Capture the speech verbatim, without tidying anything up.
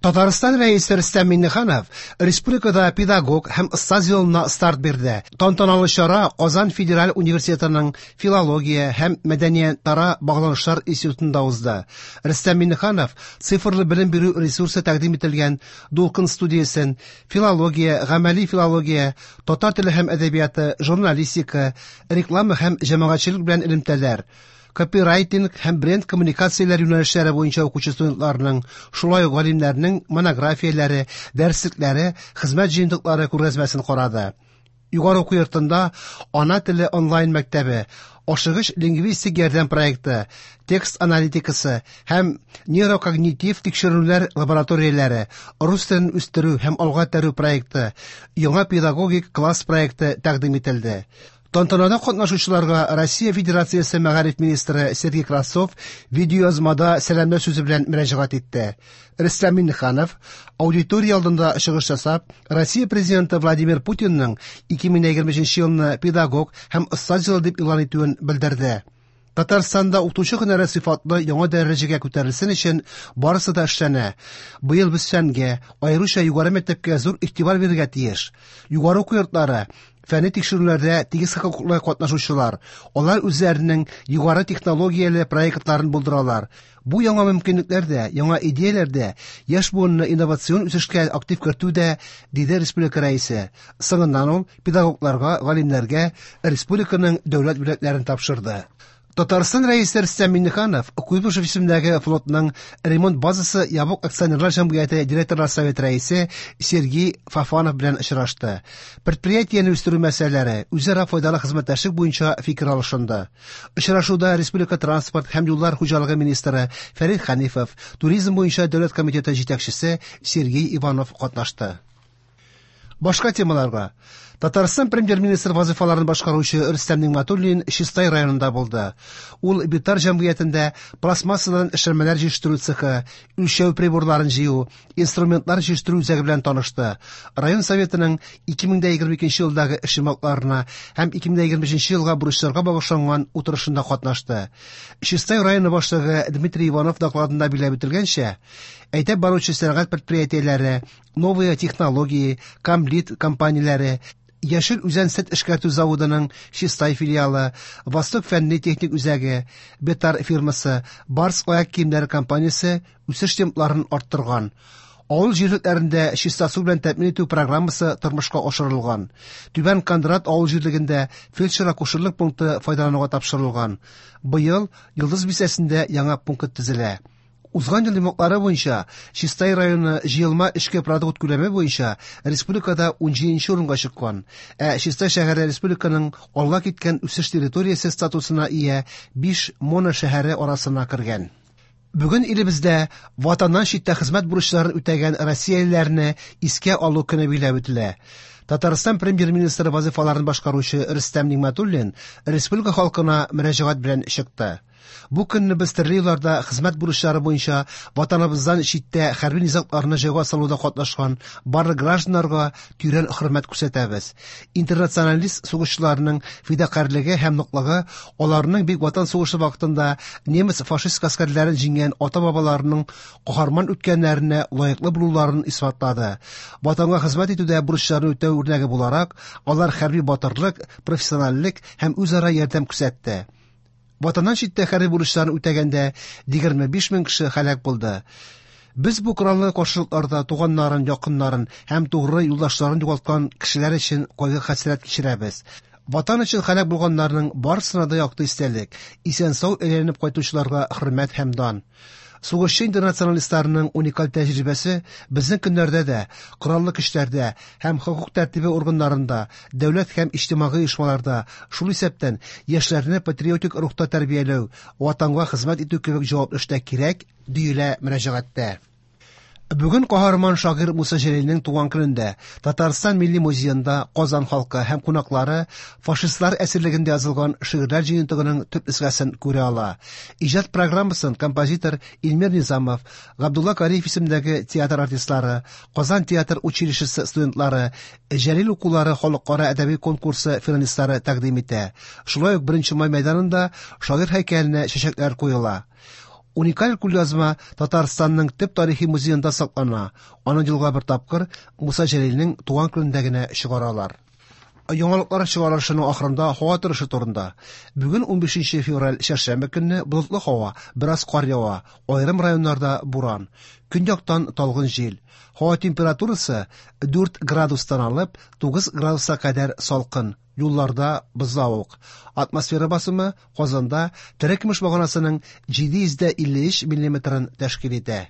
Татарстан Рәисе Рөстәм Миңнеханов республикада педагог һәм остаз елына старт бирде. Тантаналы чара Казан федераль университетының филология һәм мәдәниятара багланышлар институтында узды. Рөстәм Миңнеханов цифрлы белем бирү ресурсы тәкъдим ителгән Дулкын студиясен, филология, гамәли филология, татар теле һәм әдәбияты, журналистика, реклама һәм җәмәгатьчелек белән элемтәләр, копирайтинг һәм бренд коммуникацияләр юнәлешләре буенча укучы студентларның, шулай ук галимнәрнең монографияләре, дәреслекләре, хезмәт җыентыклары күргәзмәсен карады. Югары уку йортында Ана теле онлайн мәктәбе, ашыгыч лингвистик ярдәм проекты, текст аналитикасы һәм нейрокогнитив тикшеренүләр лабораторияләре, рус телен үстерү һәм алга этәрү проекты, яңа педагогик класс проекты тәкъдим ителде. Тантанада катнашучыларга Россия Федерациясе мәгариф министры Сергей Кравцов видеоязмада сәламләү сүзе белән мөрәҗәгать итте. Рөстәм Миңнеханов аудитория алдында чыгыш ясап, Россия президенты Владимир Путинның ике мең егерме өченче елны педагог һәм остаз елы дип игълан итүен белдерде. Татарстанда укытучы һөнәре сыйфатлы яңа дәрәҗәгә күтәрелсен өчен барысы да эшләнә. Быел без фәнгә, аеруча югары мәктәпкә зур игътибар бирергә тиеш. Югары уку йортлары фәнни тикшерүләрдә тигез хокуклы катнашучылар, алар үзләренең югары технологияле проектларын булдыралар. Бу яңа мөмкинлекләр дә, яңа идеяләр дә, яшь буынны инновацион үсешкә актив кертү дә, диде республика рәисе. Соңыннан ул педагогларга, галимнәргә республиканың дәүләт бүләкләрен тапшырды. Татарстан рәисе Рөстәм Миңнеханов Куйбышев исемендәге флотның ремонт базасы ябык акционерлар җәмгыяте директорлар советы рәисе Сергей Фофанов белән очрашты. Предприятиене үстерү мәсьәләләре, үзара файдалы хезмәттәшлек буенча фикер алышынды. Очрашуда республика транспорт һәм юллар хуҗалыгы министры Фәрит Хәнифов, туризм буенча дәүләт комитеты җитәкчесе Сергей Иванов катнашты. Башка темаларга. Татарстан премьер-министр вазифаларын башкаручы Рөстәм Нигъмәтуллин Чистай районында булды. Ул Битар җәмгыятендә пластмассадан эшләнмәләр җитештерү цехы, үлчәү приборларын җыю, инструментлар җитештерү үзәге белән танышты. Район советының ике мең егерме икенче елдагы эш йомгакларына һәм ике мең егерме өченче елга бурычларга багышланган утырышында катнашты. Чистай районы башлыгы Дмитрий Иванов докладында билгеләп үтелгәнчә, әйтеп баручы сәнәгать предприятиеләре, новые технологии, Камлит компанияләре, Яшел Үзән сөт эшкәртү заводының Чистай филиалы, Восток фәнни техник үзәге, Бетар фирмасы, Барс аяк киемнәре компаниясе үсеш темпларын арттырган. Авыл җирлекләрендә чиста су белән тәэмин итү программасы тормышка ашырылган. Түбән Кондрат авыл җирлегендә фельдшер-акушерлык пункты файдалануга тапшырылган. Быел Йолдыз бистәсендә яңа пункт төзелә. Узган ел йомгаклары буенча Чистай районы җыелма эчке продукт күләме буенча республикада унҗиденче урынга чыккан, ә Чистай шәһәре республиканың алга киткән үсеш территориясе статусына ия биш моно шәһәре арасына кергән. Бүген илебездә ватаннан читтә хезмәт бурычларын үтәгән россиялеләрне искә алу көне билгеләп үтелә. Татарстан премьер-министры вазифаларын башкаручы Рөстәм Нигъмәтуллин республика халкына мөрәҗәгать белән чыкты. Бу көнне без төрле елларда хезмәт бурычлары буенча ватаныбыздан читтә хәрби низагларны җайга салуда катнашкан барлык гражданнарга тирән хөрмәт күрсәтәбез. Интернационалист сугышчыларның фидакарьлеге һәм ныклыгы аларның Бөек Ватан сугышы вакытында немец фашист гаскәрләрен җиңгән ата-бабаларының каһарман үткәннәренә лаеклы булуларын исбатлады. Ватанга хезмәт итүдә бурычларны үтәү үрнәге буларак, алар хәрби батырлык, профессиональлек һәм үзара ярдәм күрсәтте. Ватаннан читтә хәрби бурычларын үтәгәндә егерме биш мең кеше һәлак булды. Без бу кораллы каршылыкларда туганнарын, якыннарын һәм тугры юлдашларын югалткан кешеләр өчен кайгы-хәсрәт кичерәбез. Ватан өчен һәлак булганнарның барысына да якты истәлек, исән-сау әйләнеп кайтучыларга хөрмәт һәм дан. Сугышчы интернационалистларның уникаль тәҗрибәсе безнең көннәрдә дә кораллы көчләрдә һәм хокук тәртибе органнарында, дәүләт һәм иҗтимагый оешмаларда, шул исәптән яшьләрне патриотик рухта тәрбияләү, ватанга хезмәт итү кебек җаваплы эштә кирәк, диелә мөрәҗәгатьтә. Бүген каһарман шагыйрь Муса Җәлилнең туган көнендә Татарстан Милли музеенда Казан халкы һәм кунаклары фашистлар әсирлегендә язылган шигырьләр җыентыгының төп нөсхәсен күрә ала. Иҗат программасын композитор Илмир Низамов, Габдулла Кариев исемендәге театр артистлары, Казан театр училищесы студентлары, Җәлил укулары халыкара әдәби конкурсы финалистлары тәкъдим итә. Шулай ук беренче май мәйданында шагыйрь һәйкәленә чәчәкләр куела. Уникаль кулъязма Татарстанның төп тарихи музеенда саклана. Аны елга бер тапкыр Муса Җәлилнең туган көнендә генә чыгаралар. Яңалыклар чыгарылышының ахырында һава торышы турында. Бүген унбишенче февраль чәршәмбе көнне болытлы һава, бераз кар ява, аерым районнарда буран. Көньяктан талгын җил. Һава температурасы дүрт градустан алып тугыз градуска кадәр салкын. Юлларда бозлавык. Атмосфера басымы Казанда терекөмеш баганасының җиде йөз дә илле өч миллиметрын тәшкил итә.